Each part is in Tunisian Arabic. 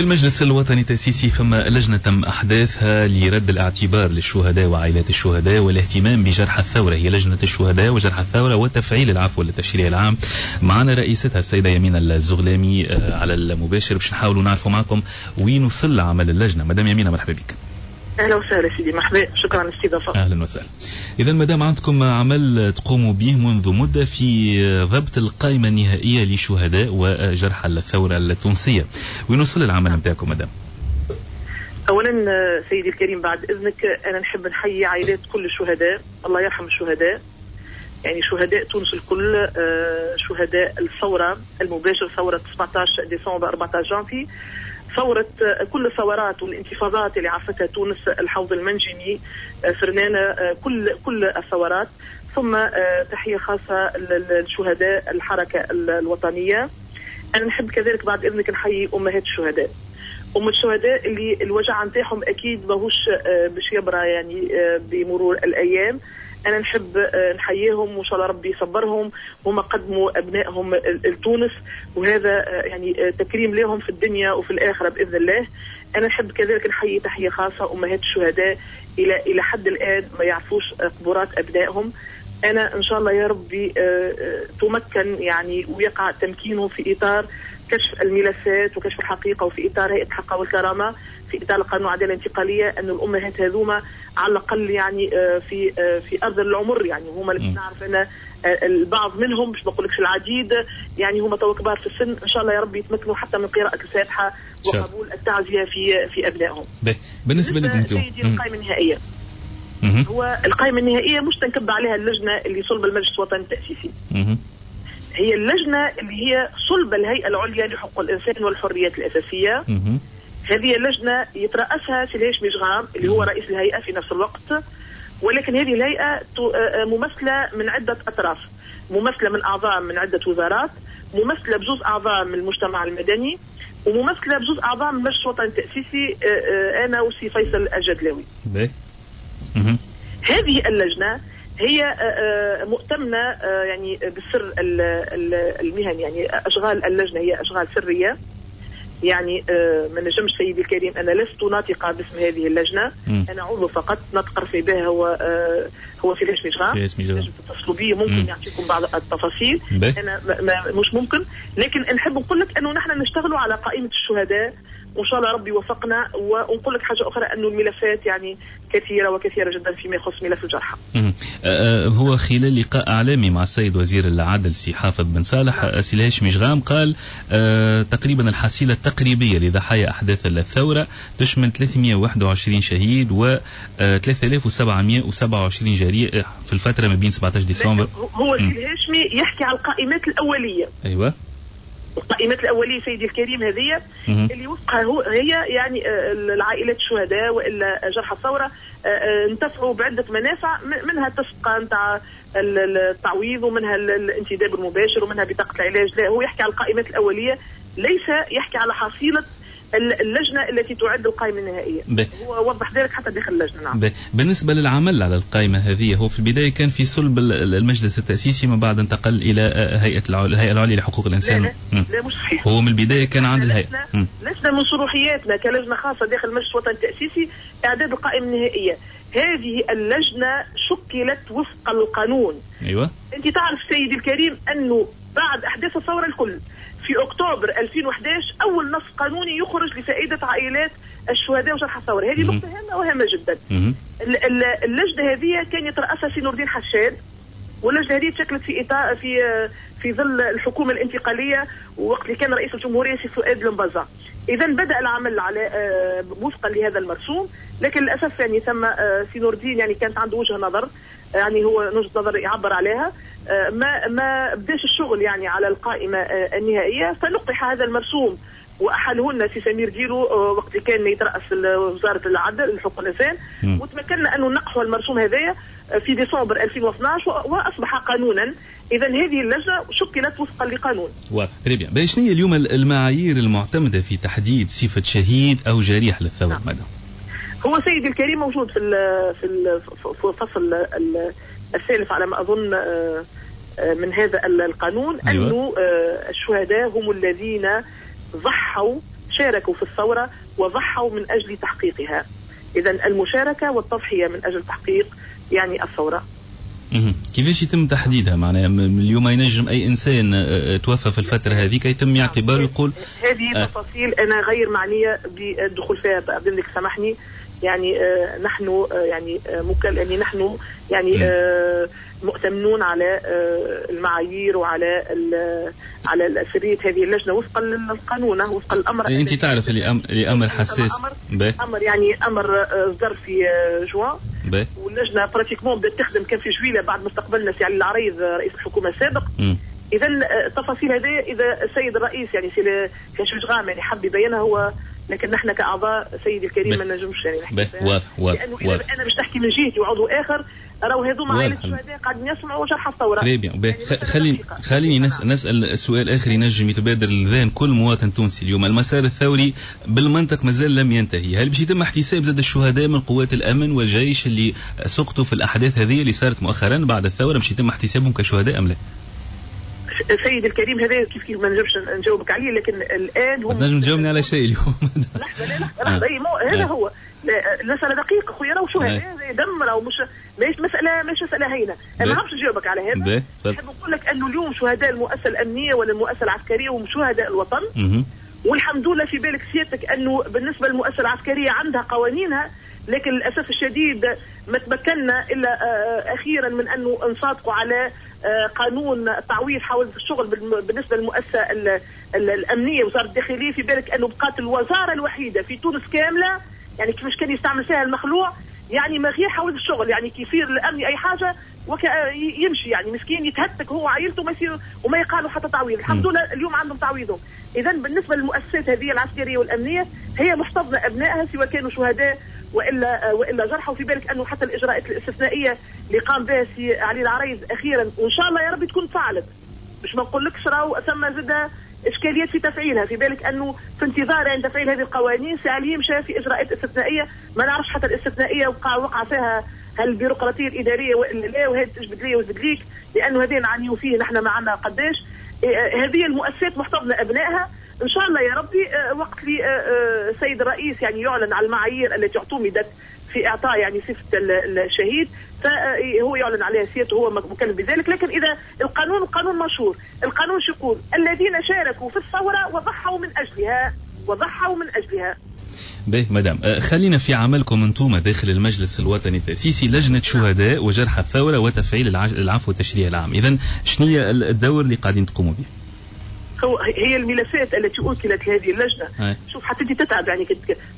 في المجلس الوطني التأسيسي فما لجنة تم أحداثها لرد الاعتبار للشهداء وعائلات الشهداء والاهتمام بجرح الثورة، هي لجنة الشهداء وجرح الثورة وتفعيل العفو للتشريع العام. معنا رئيستها السيدة يمينة الزغلامي على المباشر باش نحاولوا نعرفوا معكم وين وصل عمل اللجنة. مدام يمينة مرحبا بك. اهلا وسهلا سيدي، مرحبا، شكرا على الاستضافة. اهلا وسهلا. اذا مدام عندكم عمل تقوموا به منذ مده في ضبط القائمة النهائية لشهداء وجرحى الثورة التونسية، وين وصل العمل نتاعكم مدام؟ اولا سيدي الكريم بعد اذنك انا نحب نحيي عائلات كل الشهداء، الله يرحم الشهداء، يعني شهداء تونس الكل، شهداء الثورة المباشر، ثورة 17 ديسمبر 14 جانفي، ثورة كل الثورات والانتفاضات اللي عرفتها تونس، الحوض المنجمي، فرنانة، كل الثورات. ثم تحية خاصة للشهداء الحركة الوطنية. أنا نحب كذلك بعد إذنك نحيي أمهات الشهداء، أم الشهداء اللي الوجع نتاعهم أكيد ماهوش باش يبرى يعني بمرور الأيام. أنا نحب نحييهم وإن شاء الله ربي يصبرهم، هما قدموا أبنائهم لتونس وهذا يعني تكريم لهم في الدنيا وفي الآخرة بإذن الله. أنا نحب كذلك نحيي تحية خاصة أمهات الشهداء إلى حد الآن ما يعرفوش قبورات أبنائهم. أنا إن شاء الله يا ربي تمكن يعني ويقع تمكينهم في إطار كشف الملفات وكشف الحقيقة وفي إطار هيئة الحق والكرامة، في إطار القانون العدالة الانتقالية، أن الأمهات هذوما على الأقل يعني في أرض العمر، يعني هما اللي نعرف أن البعض منهم، مش بقولكش العديد، يعني هما تو كبار في السن، إن شاء الله يا ربي يتمكنوا حتى من قراءة الفاتحة وقبول التعزية في أبنائهم. بالنسبة لكم انتم سيدي القائمة النهائية، هو القائمة النهائية مش تنكب عليها اللجنة اللي صلب المجلس الوطني التأسيسي. هي اللجنة اللي هي صلب الهيئة العليا لحقوق الإنسان والحريات الأساسية. هذه اللجنة يترأسها سي الهاشمي جغام اللي هو رئيس الهيئة في نفس الوقت، ولكن هذه الهيئة ممثلة من عدة أطراف، ممثلة من أعضاء من عدة وزارات، ممثلة بجوز أعضاء من المجتمع المدني، وممثلة بجوز أعضاء من المجلس الوطني التأسيسي، أنا وسي فيصل الجدلاوي. هذه اللجنة هي مؤتمنة يعني بالسر المهني، يعني أشغال اللجنة هي أشغال سرية، يعني ما نجمش سيدي الكريم، أنا لست ناطقة باسم هذه اللجنة، أنا عضو فقط ناطق رسمي بها هو سي الهاشمي جغام، نجم تتصلوا بي ممكن يعطيكم بعض التفاصيل. أنا مش ممكن، لكن نحب نقول لك أنه نحن نشتغلوا على قائمة الشهداء وإن شاء الله ربي يوفقنا. ونقول لك حاجة أخرى أنه الملفات يعني كثيرة وكثيرة جدا فيما يخص ملف الجرحى. هو خلال لقاء إعلامي مع السيد وزير العدل سي حافظ بن صالح، سي الهاشمي جغام قال تقريبا الحصيلة التقريبية لضحايا أحداث الثورة تشمل 321 شهيد و 3727 جريح في الفترة ما بين 17 ديسمبر. هو سي الهاشمي يحكي على القائمات الأولية. أيوة، القائمات الأولية سيدي الكريم هذه اللي وفقها هي يعني العائلات الشهداء وإلا جرحى الثورة انتفعوا بعدة منافع، منها التسقى نتاع التعويض ومنها الانتداب المباشر ومنها بطاقة العلاج. لا، هو يحكي على القائمات الأولية، ليس يحكي على حصيلة اللجنة التي تعد القائمة النهائية. هو وضح ذلك حتى داخل اللجنة. نعم. بالنسبة للعمل على القائمة هذه، هو في البداية كان في صلب المجلس التأسيسي، من بعد انتقل إلى الهيئة العليا لحقوق الإنسان. لا، لا مش صحيح. هو من البداية كان عند الهيئة. لسنا من صروحياتنا كلجنة خاصة داخل المجلس الوطني التأسيسي إعداد القائمة النهائية. هذه اللجنة شكلت وفق القانون. أيوة. أنت تعرف سيدي الكريم أنه بعد أحداث الثورة الكل في أكتوبر 2011 أول نص قانوني يخرج لفائدة عائلات الشهداء وجرحى الثورة. هذه نقطة هامة وهامة جدا. اللجنة هذه كان يترأسها سي نور الدين حشاد، واللجنة هذه تشكلت في إطار في ظل الحكومة الانتقالية ووقت اللي كان رئيس الجمهورية سي فؤاد المبزع. إذا بدأ العمل على وفقا لهذا المرسوم، لكن للأسف يعني ثم سي نور الدين يعني كانت عنده وجهة نظر، يعني هو وجهة نظر يعبر عليها، ما بداش الشغل يعني على القائمة النهائية، فنقح هذا المرسوم وأحلهن سي سمير ديرو وقت كان يترأس وزارة العدل حقوق الإنسان، وتمكنا أنه نقحوا المرسوم هذايا في ديسمبر 2012 وأصبح قانونا. إذا هذه اللجنة شكلت وفقا لقانون. واضح. très bien. شنو هي اليوم المعايير المعتمدة في تحديد صفة شهيد أو جريح للثورة؟ مدام؟ هو سيدي الكريم موجود في الفصل الثالث على ما أظن من هذا القانون. أيوة. أنه الشهداء هم الذين ضحوا شاركوا في الثورة وضحوا من أجل تحقيقها. إذا المشاركة والتضحية من أجل تحقيق يعني الثورة. كيفاش يتم تحديدها؟ معناها اليوم ينجم أي إنسان توفى في الفترة هذيك يتم اعتباره يقول هذه تفاصيل أنا غير معنية بالدخول فيها، بإذنك سامحني. يعني نحن يعني يعني نحن يعني مؤتمنون على المعايير وعلى على سرية هذه اللجنة وفقا للقانون، وفقا للأمر. أنت تعرف اللي أمر حساس، أمر يعني أمر صدر في جوان، واللجنة pratiquement بدات تخدم كان في جويلة بعد ما استقبلنا سي علي العريض رئيس الحكومة السابق. إذا التفاصيل هذه إذا السيد الرئيس يعني سي كشجغام يعني حب يبينها هو، لكن نحن كأعضاء سيدي الكريم ما نجمش يعني نحكي. واضح واضح، لأنه أنا مش نحكي من جهتي وعضو آخر، راهو هذوما عائلة الشهداء قاعدين يسمعوا جرح الثورة. يعني خليني نسأل سؤال آخر ينجم يتبادر للذهن كل مواطن تونسي اليوم. المسار الثوري بالمنطق مازال لم ينتهي، هل باش يتم احتساب زاد الشهداء من قوات الأمن والجيش اللي سقطوا في الأحداث هذه اللي صارت مؤخرا بعد الثورة، باش يتم احتسابهم كشهداء أم لا؟ سيد الكريم هذا كيف كيف ما نجمش نجاوبك عليه، لكن الان هم تنجم تجاوبني على شيء اليوم. لحظة لا لحظة لحظة، هذا هو المسالة دقيقة خويا، راهو شو هذا دم، راهو مش ماهيش مسالة، ماهيش مسالة هينة. انا ما نعرفش نجاوبك على هذا. نحب نقول لك انه اليوم شهداء المؤسسة الامنية ولا المؤسسة العسكرية هم شهداء الوطن. والحمد لله في بالك سيادتك انه بالنسبة للمؤسسه العسكرية عندها قوانينها، لكن للاسف الشديد ما تمكنا الا اخيرا من انه نصادقوا على قانون تعويض حوادث الشغل بالنسبة للمؤسسه الامنية وزارة الداخلية. في بالك انه بقات الوزارة الوحيدة في تونس كاملة يعني كيفاش كان يستعمل فيها المخلوع، يعني ما غير حوادث الشغل، يعني كي يصير الامني اي حاجة يمشي يعني مسكين يتهتك هو وعائلته وما يصير وما يقالوا حتى تعويض. الحمد لله اليوم عندهم تعويضهم. اذا بالنسبة للمؤسسات هذه العسكرية والامنية هي محتضنه ابنائها سواء كانوا شهداء والا جرحى. وفي بالك انه حتى الاجراءات الاستثنائية اللي قام بها سي علي العريض اخيرا وان شاء الله يا ربي تكون فعلت، باش ما نقولكش راهو ثم زاد اشكاليات في تفعيلها. في بالك انه في انتظار يعني تفعيل هذه القوانين سي علي مشى في اجراءات استثنائية، ما نعرفش حتى الاستثنائية وقع فيها هالبيروقراطيه الادارية والا لا، وهذه تجبد لي وتجبد ليك، لانه هذه نعانيو فيه نحن معنا قداش. هذه المؤسسات محتضنه ابنائها. ان شاء الله يا ربي وقت لي السيد الرئيس يعني يعلن على المعايير التي اعتمدت في اعطاء يعني صفة الشهيد، فهو يعلن عليها سيادته، هو مكلف بذلك. لكن اذا القانون قانون مشهور، القانون شو يقول؟ الذين شاركوا في الثورة وضحوا من اجلها، وضحوا من اجلها. باهي مدام، خلينا في عملكم انتم داخل المجلس الوطني التأسيسي لجنة شهداء وجرحى الثورة وتفعيل العفو والتشريع العام، إذا شنو هي الدور اللي قاعدين تقوموا به؟ هو هي الملفات التي أوكلت لهذه اللجنة. شوف حتى انت تتعب يعني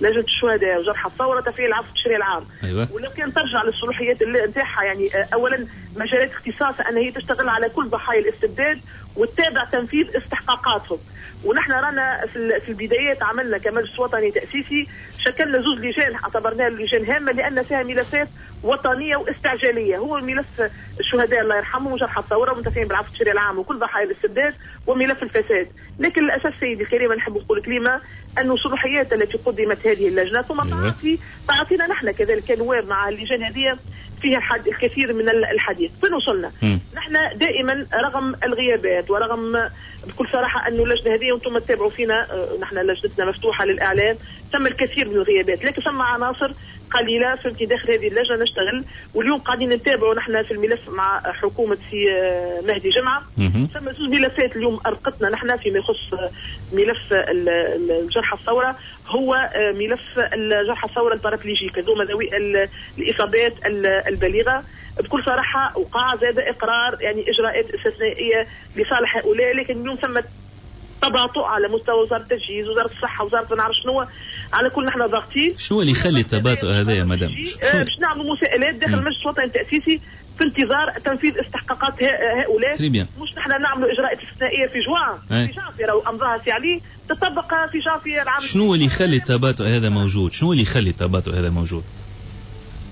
لجنة الشهداء وجرحى الثورة تفعيل العفو والتشريع العام. أيوة. ولو كان ترجع للصلاحيات نتاعها يعني أولا مجالات اختصاصها أن هي تشتغل على كل ضحايا الاستبداد وتتابع تنفيذ استحقاقاتهم. ونحن رانا في البدايات عملنا كمجلس وطني تأسيسي شكلنا زوج لجان اعتبرناها لجان هامة لأن فيها ملفات وطنية واستعجالية، هو ملف الشهداء الله يرحمهم وجرحى الثورة ومنتفعين بالعفو التشريعي العام وكل ضحايا الاستبداد وملف الفساد. لكن للأسف سيدي الكريم نحب نقول كلمة أن الصلاحيات التي قدمت هذه اللجنة ثم تعطينا نحن كذلك كنواب مع اللجان هذه فيها الكثير من الحديث. فين وصلنا؟ نحن دائما رغم الغيابات ورغم بكل صراحة أنه اللجنة هذه وأنتم تتابعوا فينا، نحن لجنتنا مفتوحة للإعلام، تم الكثير من الغيابات، لكن ثم عناصر قليلة فهمتي داخل هذه اللجنة نشتغل. واليوم قاعدين نتابعوا نحن في الملف مع حكومة سي مهدي جمعة. ثم زوج ملفات اليوم أرقتنا نحن فيما يخص ملف الجرحى الثورة، هو ملف الجرحى الثورة ال paraplégiques هذوما ذوي الإصابات البليغة. بكل صراحة وقع زاد إقرار يعني إجراءات استثنائية لصالح هؤلاء، لكن اليوم ثم تباطؤ على مستوى وزارة التجهيز، وزارة الصحة، وزارة ما نعرف شنو. على كل نحن ضاغطين. شنو اللي يخلي التباطؤ هذا يا مدام؟ باش نعملوا مساءلات داخل المجلس الوطني التأسيسي في انتظار تنفيذ استحقاقات هؤلاء. مش نحن نعملوا اجراءات استثنائية في جوان، في جانفي راهو امضاها سي علي تطبق في جانفي العام. شنو اللي يخلي التباطؤ هذا موجود؟ شنو اللي يخلي التباطؤ هذا موجود؟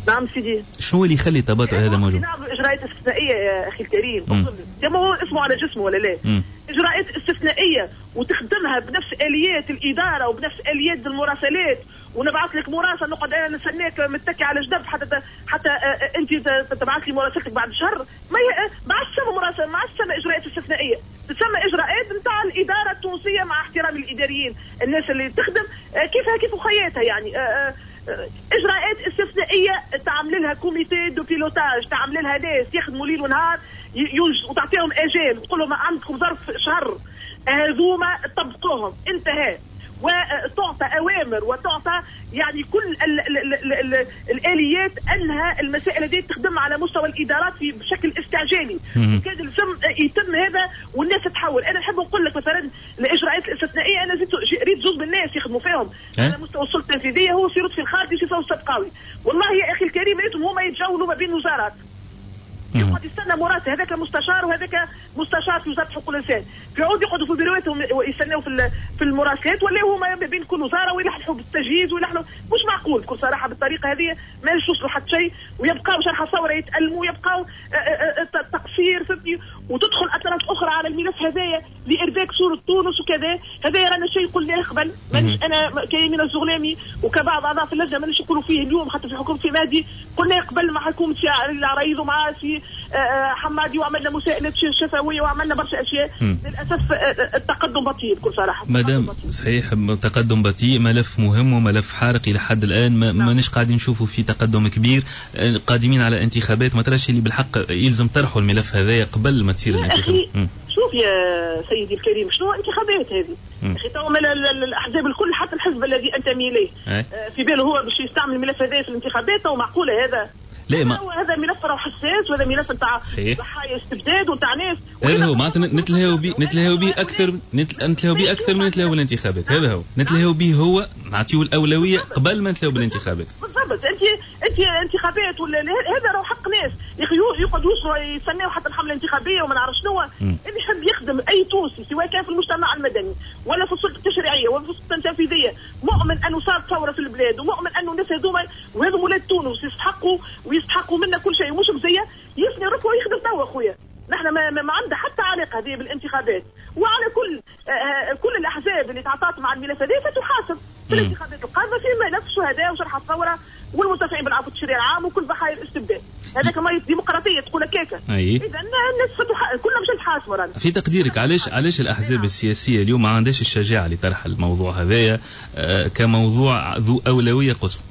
نعم سيدي، شنو اللي يخلي التباطؤ هذا موجود؟ نعملوا اجراءات استثنائية يا اخي الكريم، ما هو اسمه على جسمه ولا لا؟ اجراءات استثنائية وتخدمها بنفس اليات الادارة وبنفس اليات المراسلات، ونبعث لك مراسله نقعد انا نستناك متكي على جنب حتى انت تبعث لي مراسلتك بعد شهر. ما عادش تسمى مراسله، ما عادش تسمى اجراءات استثنائية، تسمى اجراءات نتاع الادارة التونسية مع احترام الاداريين الناس اللي تخدم كيفها كيف خياتها. يعني اجراءات استثنائية تعمل لها comité de pilotage، تعمل لها ناس يخدموا ليل ونهار وتعطيهم اجال وتقول لهم عندكم ظرف شهر هذوما طبقوهم، انتهى. وتعطى اوامر وتعطى يعني كل ال ال ال ال الاليات انها المسائل هذه تخدم على مستوى الادارات بشكل استعجالي، وكان لازم يتم هذا والناس تتحول. انا نحب نقول لك مثلا الاجراءات الاستثنائية انا زدت ريت زوج من الناس يخدموا فيهم على مستوى السلطة التنفيذية، هو سي لطفي الخالدي وسي فوزي السبقاوي. والله يا اخي الكريم ريتهم هما يتجولوا ما بين وزارات، يقعد يستنى مراسل، هذاك مستشار وهذاك مستشار في وزارة حقوق الانسان، في عود يقعدوا في بيرواتهم ويستناو في المراسلات، ولا هما ما بين كل وزارة ويلحلحوا بالتجهيز ويلحلحوا. مش معقول بكل صراحة بالطريقة هذه ما يوصلوا حتى شيء، ويبقاو شرح الثورة يتألموا ويبقاو تقصير، فهمتني، وتدخل اطراف اخرى على الملف هذايا لارباك صوره تونس وكذا. هذايا رانا شيء قلناه قبل، مانيش انا كيمين الزغلامي وكبعض اعضاء في اللجنة مانيش نقولوا فيه اليوم، حتى في حكومة مهدي قلناه قبل مع حكومة العريض ومع سي حمادي، وعملنا مساءلات شفويه وعملنا برشا اشياء. للاسف التقدم بطيء بكل صراحة. مادام صحيح تقدم بطيء، ملف مهم وملف حارق الى حد الان مانيش قاعدين نشوفوا في تقدم كبير، قادمين على انتخابات، ما تراش اللي بالحق يلزم طرحوا الملف هذايا قبل ما تصير الانتخابات؟ شوف يا سيدي الكريم، شنو انتخابات هذه؟ اخي تو الاحزاب الكل حتى الحزب الذي انتمي اليه في باله هو باش يستعمل الملف هذا في الانتخابات، ومعقوله هذا؟ لا ما هذا ملف راه حساس، وهذا ملف نتاع ضحايا استبداد ونتاع ناس. هذا هو معناتها نتلهاو بيه اكثر، نتلهاو بيه اكثر من نتلهاو بالانتخابات. هذا هو نتلهاو بيه، هو نعطيو الاولوية قبل ما نتلهاو بالانتخابات. بالضبط. انت انتخابات ولا هذا راه حق ناس يا اخي يقعدوا يوصلوا يستناو حتى الحملة الانتخابية وما نعرف شنو. اللي يحب يخدم اي تونسي سواء كان في المجتمع المدني ولا في السلطة التشريعية ولا في السلطة التنفيذية، مؤمن انه صارت ثورة في البلاد، ومؤمن انه الناس هذوما وهذو ولاد تونس يستحقوا منا كل شيء ومش مزية، يثني ركبه ويخدم توا خويا. نحن ما عندها حتى علاقة هذه بالانتخابات، وعلى كل الاحزاب اللي تعاطات مع الملف هذه ستحاسب في الانتخابات القادمة في ملف الشهداء وجرحى الثورة والمنتفعين بالعفو التشريعي العام وكل ضحايا الاستبداد. هذاك ما ديمقراطية تقول هكاك. اذا الناس كلنا مش نتحاسبوا رانا. في تقديرك علاش الاحزاب السياسية اليوم ما عندهاش الشجاعة لطرح الموضوع هذايا كموضوع ذو اولوية قصوى؟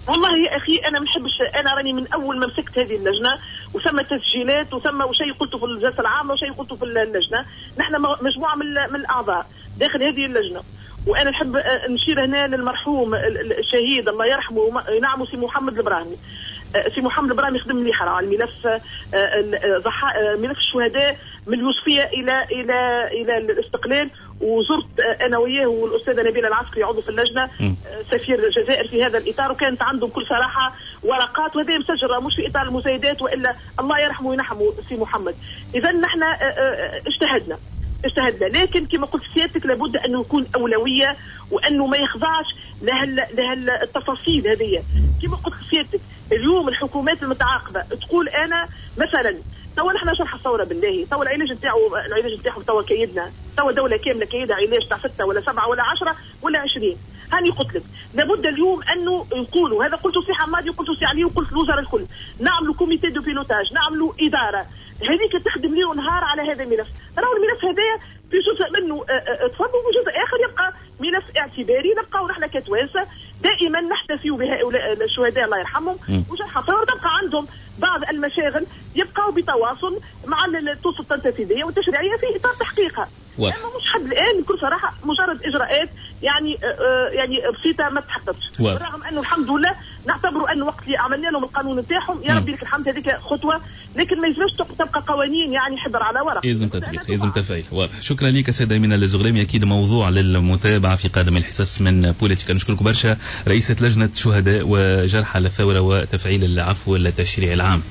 والله يا اخي انا ما نحبش، انا راني من اول ما مسكت هذه اللجنة وثم تسجيلات وثم شيء قلته في الجلسة العامة وشيء قلته في اللجنة، نحن مجموعة من الاعضاء داخل هذه اللجنة، وانا نحب نشير هنا للمرحوم الشهيد الله يرحمه ينعمه سي محمد البراهمي. سي محمد البراهمي خدم مليح على الملف ملف الشهداء من اليوسفيه الى الى الى الاستقلال، وزرت انا وياه والاستاذه نبيلة العسكري عضو في اللجنة سفير الجزائر في هذا الاطار، وكانت عندهم بكل صراحة ورقات وهذا مسجله مش في اطار المزايدات والا الله يرحمه وينحمه سي محمد. اذا نحن اجتهدنا، لكن كما قلت سيادتك لابد انه يكون اولوية وانه ما يخضعش لها التفاصيل هذه. كما قلت سيادتك اليوم الحكومات المتعاقبة تقول انا مثلا توا نحن شرح الثورة بالله، توا العلاج نتاعو توا كيدنا، توا دولة كاملة كيدها علاج تاع 6 ولا 7 ولا 10 ولا 20. هاني قلت لك لابد اليوم انه نقولوا، هذا قلته سي حمادي وقلته سي علي وقلت الوزراء الكل، نعملوا comité de pilotage، نعملوا ادارة هذيك تخدم ليل ونهار على هذا الملف. راهو الملف هذايا في جزء منه تفضل وجزء اخر يبقى ملف اعتباري، نبقاو نحن كتوانسه دائما نحتفي بهؤلاء الشهداء الله يرحمهم وجرحى الثورة، تبقى عندهم بعض المشاغل يبقاو بتواصل مع السلطة التنفيذية والتشريعيه في اطار تحقيقها. اما مش حد الان بكل صراحة مجرد اجراءات يعني بسيطة ما تحققتش، بالرغم انه الحمد لله نعتبروا انه وقت اللي عملنا لهم القانون نتاعهم يا ربي لك الحمد هذيك خطوة، لكن ما يلزمش تبقى قوانين يعني حبر على ورق، يلزم تطبيق، يلزم تفعيل. واضح. شكرا لك سيده يمينة الزغلامي، اكيد موضوع للمتابعة في قادم الحصص من بوليتيكا. نشكرك برشا رئيسه لجنة شهداء وجرحى الثورة وتفعيل العفو التشريعي العام.